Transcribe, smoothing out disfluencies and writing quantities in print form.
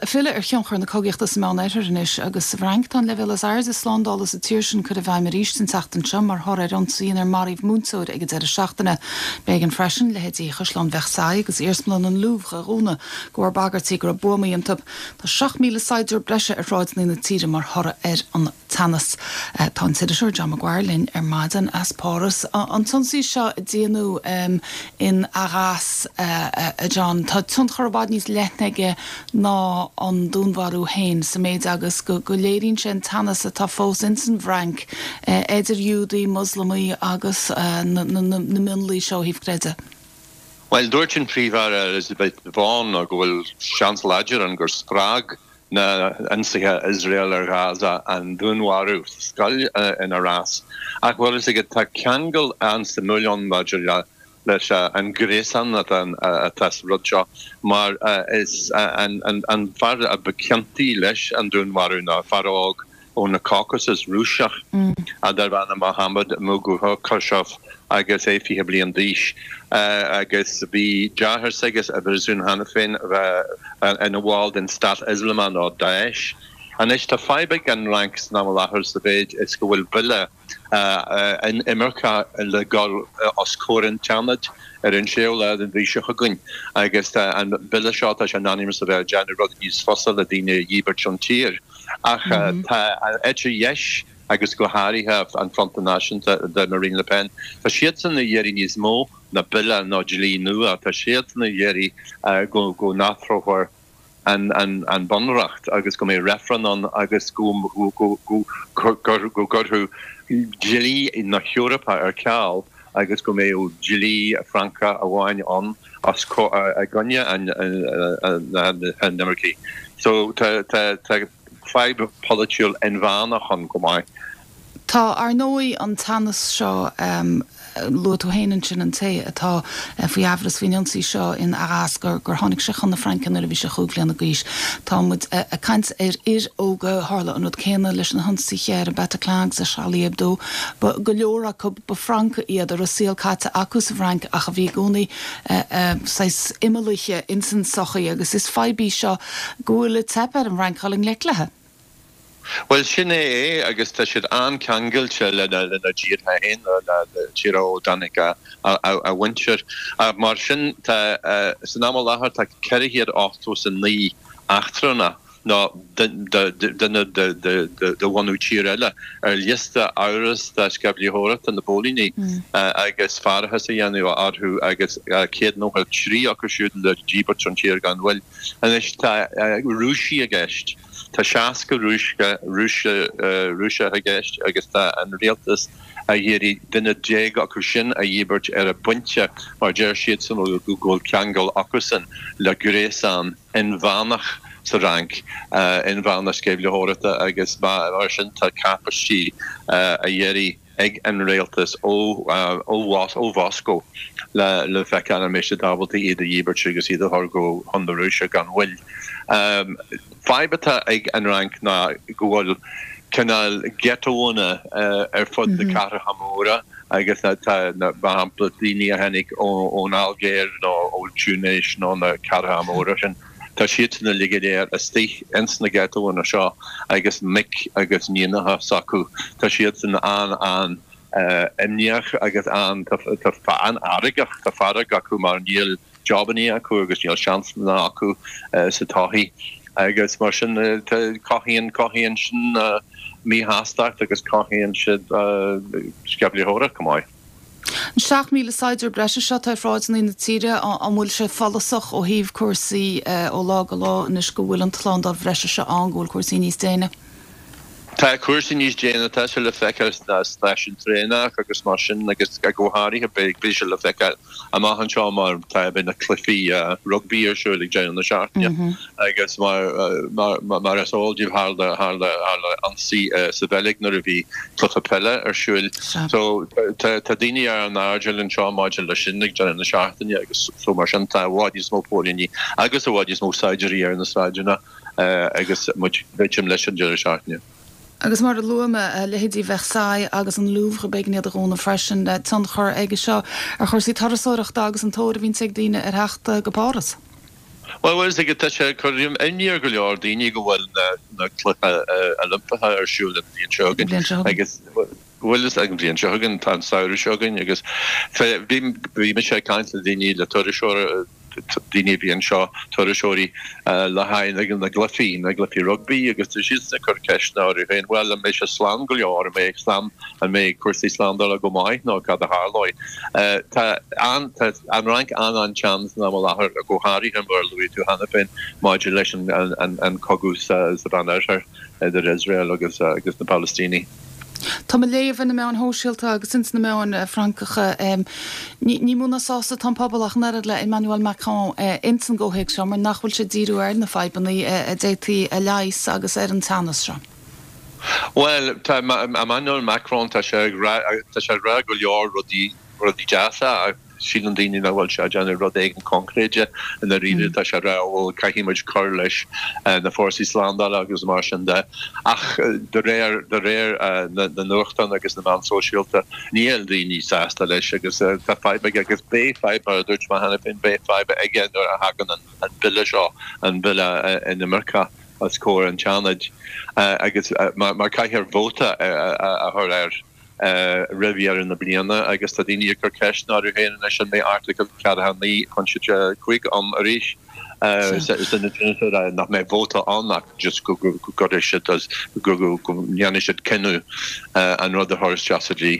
Filleadh ar thionchar na cogaíochta sa Meánoirthear anois agus sa bhFrainc. Tá an leibhéal is airde slándála sa tír sin curtha i bhfeidhm arís an tseachtain seo mar thoradh ar ionsaí inar maraíodh múinteoir ag an deireadh seachtaine. B'éigean freisin leithéidí Chaisleán Versailles agus Iarsmalann an Louvre a dhúnadh de bharr bagairtí go raibh buamaí iontu. Tá 7,000 saighdiúir breise ar shráideanna na tíre mar thoradh ar an teannas. Tá an t-iriseoir John Maguire linn ar maidin as Páras. An t-ionsaí seo a déanadh in Arras, a John, tá tionchar i bhfad níos leithne aige ná an dúnmharú féin sa méid agus go léiríonn sé an teannas atá fós ins an bhFrainc idir Iúdaigh, Moslamaigh agus na mionlaigh seo ó thaobh creidimh. Bhuel, dúirt an Príomh-Aire Elisabeth Borne go bhfuil seans láidir ann gur spreag na hionsaithe Iosrael ar Ghaza an dúnmharú sa scoil in Arras. Ach bhfuil fhios agat, tá ceangal an-suimiúil ann maidir leis an ghréasán atá sa rud seo mar is an fear a ba chiontaí leis an dúnmharú ná fear óg ó na Caucasus Rúiseach darb ainm Mohammed Mugakhov agus é 20 bliain d'aois agus bhí deartháir s'aige i bpríosún cheana féin ina bhall den Stát Ioslamach nó Daesh. Anois tá fadhb ag an Fhrainc san am i láthair sa mhéid is go bhfuil bille inimirce le dhul os comhair an tSeanaid ar an séú lá den mhí seo chugainn agus tá an bille seo, tá sé in ainm is a bheith ag déanamh rudaí níos fusa le daoine a dhíbirt ón tír. Ach tá an eite dheis agus go háirithe an Fronta Náisiúnta de Marine Le Pen, tá siadsan ag iarraidh níos mó ná bille nó dlí nua, tá siadsan ag iarraidh go n-athrófar an bunreacht agus go mbeidh reifreann ann agus go gcuirfear dlí na hEorpa ar ceal agus go mbeadh dlí Francach amháin ann os i gcoinne an inimircigh. So tá fadhb pholaitiúil inmheánach ann chomh maith. Tá, ar ndóigh, an teannas seo, luaigh tú féin ansin an té atá faoi amhras faoin ionsaí seo in Arras, gur tháinig sé chun na Fraince nuair a bhí sé chúig bhliana d'aois. Tá muid ag caint ar fhir óga, tharla an rud céanna leis na hionsaithe ar an Bataclan agus ar Charlie Hebdo. Ba go leor acu, ba Francaigh iad a raibh saol caite acu sa bhFrainc ach a bhí i gcónaí saghas imeallaithe ins an tsochaí agus is fadhb í seo go bhfuil ag teip ar an bhFrainc dul i ngleic léi. Bhuel, sin é é agus tá siad an-ceangailte lena dtíortha féin, le tíortha ó dtáinig a mhuintir. Mar sin, tá, san am i láthair, tá 489 eachtrannach nó duine de bhunadh tír eile ar liosta amhrasta sceimhlitheoireachta na bpóilíní agus faireachas á dhéanamh orthu agus 193 acu siúd le díbirt ón tír gan mhoill. Anois tá Rúisigh i gceist. Tá 60 Rúiseach i gceist agus tá an rialtas ag iarraidh duine déag acu sin a dhíbirt ar an bpointe mar deir siadsan go bhfuil ceangal acusan le gréasán inmheánach sa Fhrainc, inmheánach sceimhlitheoireachta agus mar sin tá cacáistí á iarraidh ag an rialtas ó Mhoscó le feiceáil an mbeidh siad ábalta iad a dhíbirt agus iad a chur chun na Rúise gan mhoill. Fadhb atá ag an Fhrainc ná go bhfuil cineál ghettoanna ar fud na cathracha móra agus tá, mar shampla, daoine a tháinig ón Ailgéir nó ó Túinéis nó na cathracha móra sin, tá siadsan uilig go léir istigh ins na ghettoanna seo agus mic agus níonacha s'acu, tá siadsan an-an imníoch agus an, tá an-fheargach, tá fearg acu mar níl jabannaí acu agus níl seansanna acu sa tsochaí agus mar sin cothaíonn, cothaíonn sin míshástacht agus cothaíonn siad sceimhlitheoireacht chomh maith. An 7,000 saighdiúir breise seo atá ar shráideanna na tíre, an bhfuil sé follasach ó thaobh cúrsaí ó lá go lá anois go bhfuil an tslándáil bhreise seo ann, go bhfuil cúrsaí níos déine? Tá cúrsaí níos déine, tá sé le feiceáil sna stáisiúin traenach agus mar sin agus go háirithe beidh sé le feiceáil amach anseo mar tá beidh na cluichí rugbaí ar siúl ag deireadh na seachtaine agus mar mar is eol daoibh tharla tharla tharla ionsaí sa Bheilg nuair a bhí cluiche peile ar siúl. So tá tá daoine ar an airdeall anseo maidir leis sin ag deireadh na seachtaine agus so mar sin tá i bhfad níos mó póilíní agus i bhfad níos mó saighdiúirí ar na sráideanna. agus muid ag druidim leis an deireadh seachtaine. Agus mar a luaigh mé, leithéidí Versailles agus an Louvre, b'éigean iad a dhúnadh freisin. Tionchar aige seo ar chúrsaí turasóireachta agus an tóir a bhíonns ag daoine ar theacht go Páras. Bhuel, bhfuil a fhios agat, tá sé ag cur imní ar go leor daoine go bhfuil na Cluichí Oilimpeacha ar siúl an bhliain seo chugainn agus bhfuil a fhios an bhliain seo chugainn, tá an samhradh seo chugainn agus bhí mise ag caint le daoine, le turasóirí, daoine a bhí anseo, turasóirí, le haghaidh na gcluichí, na gcluichí rugbaí agus tá siadsan ag cur ceisteanna orthu féin, bhuel, an mbeidh sé slán go leor, an mbeidh slán, an mbeidh cúrsaí slándála go maith nó cad a tharlóidh? Tá an, tá an Fhrainc an-an-teann san am i láthair, go háirithe mar a luaigh tú cheana féin, maidir leis an, an, an cogadh sa, sa Mheánoirthear idir Iosrael agus, agus na Palaistínigh. Tá mé ag léamh ar na meáin shóisialta agus ins na meáin Francacha, ní mó ná sásta atá an pobal ach an oiread le Emmanuel Macron ins an gcomhthéacs seo mar nach bhfuil sé ag díriú ar na fadhbanna a d'fhéadfaí a leigheas agus ar an teannas seo. Bhuel, tá Emmanuel Macron, tá sé ag rá, tá sé ag rá go leor rudaí, rudaí deasa ach síleann daoine nach bhfuil sé ag déanamh rud éigin coincréide i ndáiríre. Tá sé ag rá, bhuel, caithfidh muid cur leis na fórsaí slándála agus mar sin de. Ach de réir, de réir na nuachtán agus na meán sóisialta, níl daoine sásta leis agus tá fadhb aige agus beidh fadhb, mar a dúirt mé cheana féin, beidh fadhb aige nuair a thagann an bille seo, an bille inimirce os comhair an tSeanaid agus mar caithfear vóta a chur air. roimh dheireadh na bliana agus tá daoine ag cur ceisteanna orthu féin anois an mbeidh Airteagal 49.5 ann arís nach mbeidh vóta ann ach just go gcuirfidh siad go ndéanfaidh siad cinneadh an rud a chur isteach sa dlí.